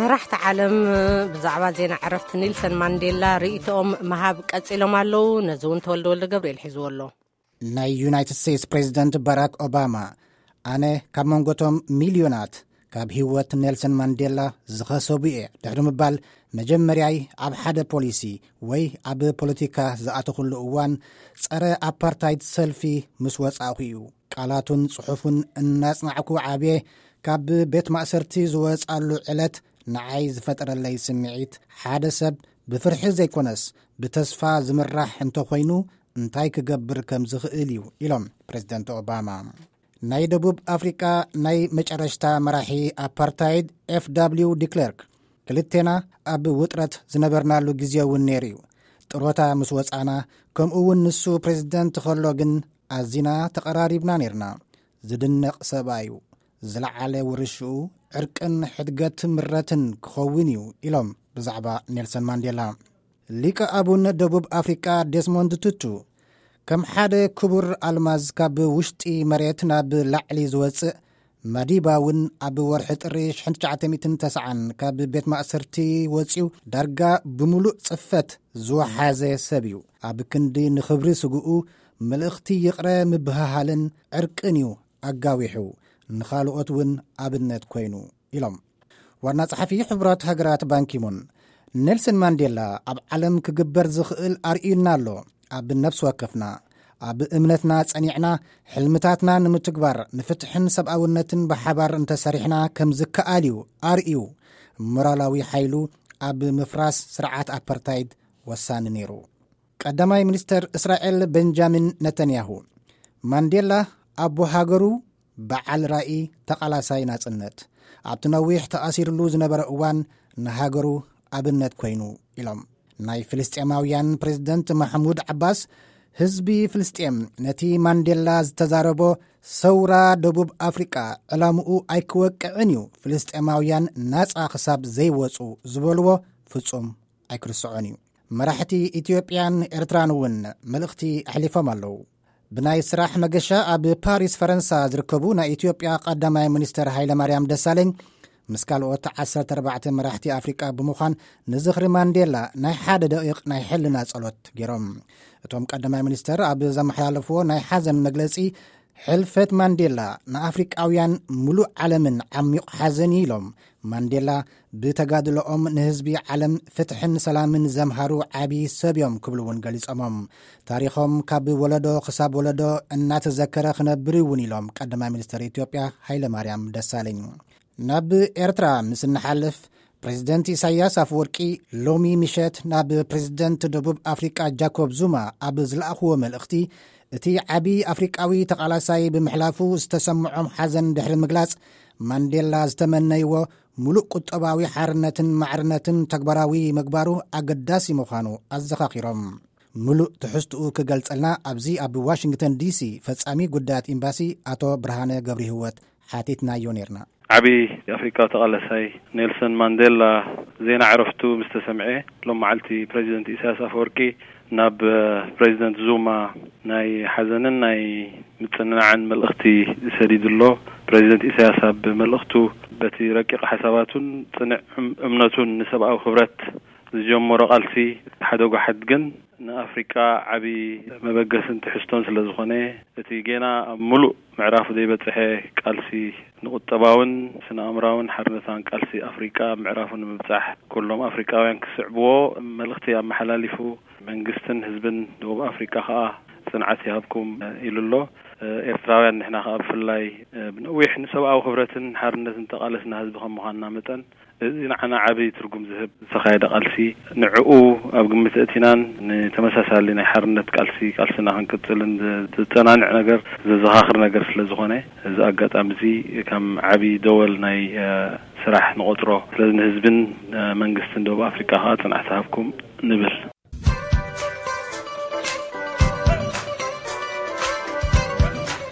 መራሕቲ ዓለም ብዛዕባ ዜና ዕረፍቲ ኔልሰን ማንዴላ ርእይቶኦም ምሃብ ቀጺሎም ኣለዉ። ነዚ እውን ተወልደ ወልደ ገብርኤል ሒዝዎ ኣሎ። ናይ ዩናይትድ ስቴትስ ፕሬዚደንት ባራክ ኦባማ፣ ኣነ ካብ መንጎቶም ሚልዮናት ካብ ህይወት ኔልሰን ማንዴላ ዝኸሰቡ እየ ድሕሪ ምባል፣ መጀመርያይ ኣብ ሓደ ፖሊሲ ወይ ኣብ ፖለቲካ ዝኣተኹሉ እዋን፣ ጸረ ኣፓርታይድ ሰልፊ ምስ ወጻእኹ እዩ። ቃላቱን ጽሑፉን እናጽናዕኩ ዓብየ። ካብ ቤት ማእሰርቲ ዝወጻሉ ዕለት ንዓይ ዝፈጠረለይ ስምዒት፣ ሓደ ሰብ ብፍርሒ ዘይኮነስ ብተስፋ ዝምራሕ እንተኾይኑ እንታይ ክገብር ከም ዝኽእል እዩ፣ ኢሎም ፕሬዚደንት ኦባማ። ናይ ደቡብ ኣፍሪቃ ናይ መጨረሽታ መራሒ ኣፓርታይድ ኤፍ ደብሊው ዲክለርክ፣ ክልቴና ኣብ ውጥረት ዝነበርናሉ ግዜ እውን ነይሩ እዩ። ጥሮታ ምስ ወጻና፣ ከምኡ እውን ንሱ ፕሬዚደንት ከሎ ግን ኣዚና ተቐራሪብና ነይርና። ዝድነቕ ሰብኣይ እዩ። ዝለዓለ ውርሽኡ ዕርቅን ሕድገት ምረትን ክኸውን እዩ፣ ኢሎም ብዛዕባ ኔልሰን ማንዴላ። ሊቀ ኣቡን ደቡብ ኣፍሪቃ ዴስሞንድ ቱቱ፣ ከም ሓደ ክቡር ኣልማዝ ካብ ውሽጢ መሬት ናብ ላዕሊ ዝወጽእ፣ ማዲባ እውን ኣብ ወርሒ ጥሪ ሽሕን ትሽዓተ ሚእትን ተስዓን ካብ ቤት ማእሰርቲ ወጺኡ ዳርጋ ብምሉእ ጽፈት ዝወሓዘ ሰብ እዩ። ኣብ ክንዲ ንኽብሪ ስግኡ፣ መልእኽቲ ይቕረ ምብህሃልን ዕርቅን እዩ ኣጋዊሑ፣ ንኻልኦት እውን ኣብነት ኮይኑ፣ ኢሎም። ዋና ጸሓፊ ሕቡራት ሃገራት ባንኪሙን፣ ኔልሰን ማንዴላ ኣብ ዓለም ክግበር ዝኽእል ኣርእዩና ኣሎ። ኣብ ነፍሲ ወከፍና፣ ኣብ እምነትና ጸኒዕና፣ ሕልምታትና ንምትግባር፣ ንፍትሕን ሰብኣውነትን ብሓባር እንተሰሪሕና ከም ዝከኣል እዩ ኣርእዩ። ሞራላዊ ሓይሉ ኣብ ምፍራስ ስርዓት ኣፓርታይድ ወሳኒ ነይሩ። ቀዳማይ ሚኒስተር እስራኤል ቤንጃሚን ነተንያሁ፣ ማንዴላ ኣቦ ሃገሩ፣ በዓል ራኢ፣ ተቓላሳይ ናጽነት፣ ኣብቲ ነዊሕ ተኣሲርሉ ዝነበረ እዋን ንሃገሩ ኣብነት ኮይኑ፣ ኢሎም። ናይ ፍልስጤማውያን ፕሬዝደንት ማሕሙድ ዓባስ፣ ህዝቢ ፍልስጤም ነቲ ማንዴላ ዝተዛረቦ ሰውራ ደቡብ ኣፍሪቃ ዕላምኡ ኣይክወቅዕን እዩ፣ ፍልስጤማውያን ናጻ ክሳብ ዘይወጹ ዝበልዎ ፍጹም ኣይክርስዖን እዩ። መራሕቲ ኢትዮጵያን ኤርትራን እውን መልእኽቲ ኣሕሊፎም ኣለዉ። ብናይ ስራሕ መገሻ ኣብ ፓሪስ ፈረንሳ ዝርከቡ ናይ ኢትዮጵያ ቀዳማይ ሚኒስተር ሃይለማርያም ደሳለኝ ምስ ካልኦት ዓሰርተ ኣርባዕተ መራሕቲ ኣፍሪቃ ብምዃን ንዝኽሪ ማንዴላ ናይ ሓደ ደቂቕ ናይ ሕልና ጸሎት ገይሮም። እቶም ቀዳማይ ሚኒስተር ኣብ ዘመሓላለፍዎ ናይ ሓዘን መግለጺ፣ ሕልፈት ማንዴላ ንኣፍሪቃውያን ምሉእ ዓለምን ዓሚቕ ሓዘን እዩ ኢሎም። ማንዴላ ብተጋድሎኦም ንህዝቢ ዓለም ፍትሕን ሰላምን ዘምሃሩ ዓቢ ሰብ እዮም ክብሉ እውን ገሊጾሞም። ታሪኾም ካብ ወለዶ ክሳብ ወለዶ እናተዘከረ ክነብር እውን ኢሎም ቀዳማይ ሚኒስተር ኢትዮጵያ ሃይለማርያም ደሳለኝ። ናብ ኤርትራ ምስ እንሓልፍ፣ ፕሬዝደንት ኢሳያስ ኣፈወርቂ ሎሚ ምሸት ናብ ፕሬዝደንት ደቡብ ኣፍሪቃ ጃኮብ ዙማ ኣብ ዝለኣኽዎ መልእኽቲ፣ እቲ ዓቢ ኣፍሪቃዊ ተቓላሳይ ብምሕላፉ ዝተሰምዖም ሓዘን ድሕሪ ምግላጽ፣ ማንዴላ ዝተመነይዎ ምሉእ ቁጠባዊ ሓርነትን ማዕርነትን ተግባራዊ ምግባሩ ኣገዳሲ ምዃኑ ኣዘኻኺሮም። ምሉእ ትሕዝትኡ ክገልጸልና ኣብዚ ኣብ ዋሽንግተን ዲሲ ፈጻሚ ጉዳያት ኤምባሲ ኣቶ ብርሃነ ገብረህይወት ሓቲትናዮ ነይርና። ዓቢ ኣፍሪቃዊ ተቓላሳይ ኔልሰን ማንዴላ ዜና ዕረፍቱ ምስ ተሰምዐ፣ ሎም መዓልቲ ፕሬዚደንት ኢሳያስ ኣፈወርቂ ናብ ፕሬዚደንት ዙማ ናይ ሓዘንን ናይ ምጽንናዕን መልእኽቲ ሰዲዱ ኣሎ። ፕሬዚደንት ኢሳያስ ኣብ መልእኽቱ፣ በቲ ረቂቕ ሓሳባቱን ጽንዕ እም-፣ እምነቱን ንሰብኣዊ ክብረት ዝጀመሮ ቃልሲ ሓደ ጓሓት ግን ንኣፍሪቃ ዓቢ መበገስን ትሕዝቶን ስለ ዝኾነ፣ እቲ ጌና ኣብ ምሉእ ምዕራፉ ዘይበጽሐ ቃልሲ ንቁጠባውን ስነ ኣእምራውን ሓርነታን ቃልሲ ኣፍሪቃ ኣብ ምዕራፉ ንምብጻሕ ኩሎም ኣፍሪቃውያን ክስዕብዎ መልእኽቲ ኣመሓላሊፉ፣ መንግስትን ህዝብን ደቡብ ኣፍሪቃ ከኣ ጽንዓት ይሃብኩም ኢሉ ኣሎ። ኤርትራውያን ንሕና ከኣ ብፍላይ ብነዊሕ ንሰብኣዊ ክብረትን ሓርነትን ተቓለስና ህዝቢ ከም ምዃንና መጠን፣ እዚ ንዓና ዓቢ ትርጉም ዝህብ ዝተኻየደ ቃልሲ፣ ንዕኡ ኣብ ግምት ኣእቲናን ንተመሳሳሊ ናይ ሓርነት ቃልሲ፣ ቃልስና ክንቅጽልን ዝ-፣ ዘጸናንዕ ነገር፣ ዘዘኻኽር ነገር ስለ ዝኾነ፣ እዚ ኣጋጣሚ እዚ ከም ዓቢ ደወል ናይ፣ እ፣ ስራሕ ንቖጽሮ። ስለዚ ንህዝብን፣ እ፣ መንግስትን ደቡብ ኣፍሪቃ ከኣ ጽንዓት ይሃብኩም ንብል።